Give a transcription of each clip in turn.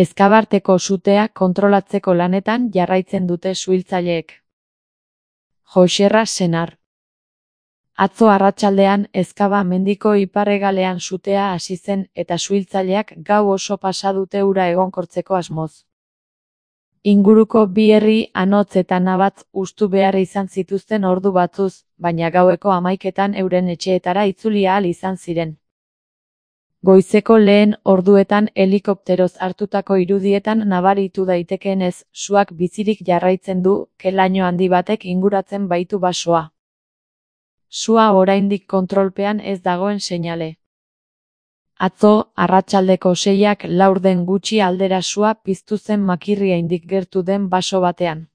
Ezkabarteko sutea kontrolatzeko lanetan jarraitzen dute suhiltzaileek. Joxerra senar. Atzo arratsaldean Ezkaba mendiko ipar-hegalean sutea hasi zen eta suhiltzaileak gau oso pasa dute ura egonkortzeko asmoz. Inguruko bi herri Anotz eta Nabatz hustu behar izan zituzten ordu batzuz, baina gaueko 11etan euren etxeetara itzuli ahal izan ziren. Goizeko lehen orduetan helikopteroz hartutako irudietan nabaritu daitekeenez, suak bizirik jarraitzen du, ke-laino handi batek inguratzen baitu basoa. Sua oraindik kontrolpean ez dagoen seinale. Atzo, arratsaldeko 6:04 gutxi aldera sua piztu zen Makirriaindik gertu den baso batean.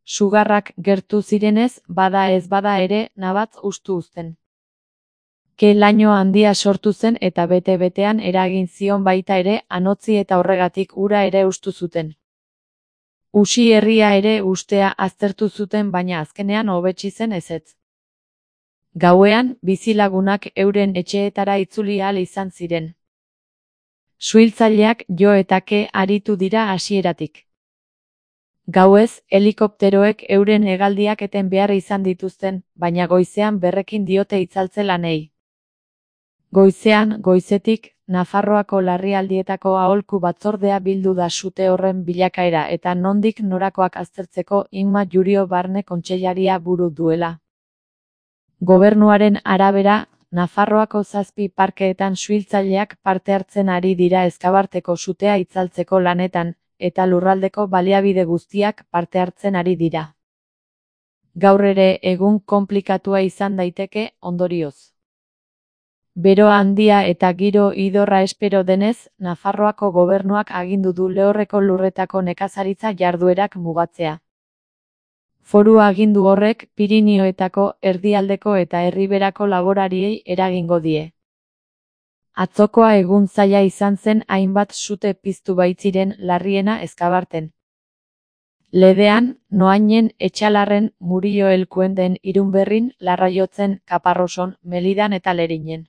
Sugarrak gertu zirenez, bada ez bada ere, Nabatz hustu uzten. Ke-laino handia sortu zen eta bete-betean eragin zion baita ere Anotzi eta horregatik ura ere hustu zuten. Usi herria ere hustea aztertu zuten baina azkenean hobetsi zen ezetz. Gauean, bizilagunak euren etxeetara itzuli ahal izan ziren. Suhiltzaileak jo eta ke aritu dira hasieratik. Gauez, helikopteroek euren hegaldiak eten behar izan dituzten, baina goizean berrekin diote itzaltze lanei. Goizean, goizetik, Nafarroako larrialdietako aholku batzordea bildu da sute horren bilakaera eta nondik norakoak aztertzeko Inma Jurio Barne kontseilaria buru duela. Gobernuaren arabera, Nafarroako 7 parkeetan suhiltzaileak parte hartzen ari dira Ezkabarteko sutea itzaltzeko lanetan, eta lurraldeko baliabide guztiak parte hartzen ari dira. Gaur ere egun konplikatua izan daiteke, ondorioz. Bero handia eta giro idorra espero denez, Nafarroako gobernuak agindu du lehorreko lurretako nekazaritza jarduerak mugatzea. Foru agindu horrek Pirinioetako, erdialdeko eta erriberako laborariei eragingo die. Atzokoa egun zaila izan zen hainbat sute piztu baitziren larriena Ezkabarten. Ledean, Noainen, Etxalarren, Murillo Elkuenden, Irunberrin, Larraiotzen, Kaparroson, Melidan eta Lerinen.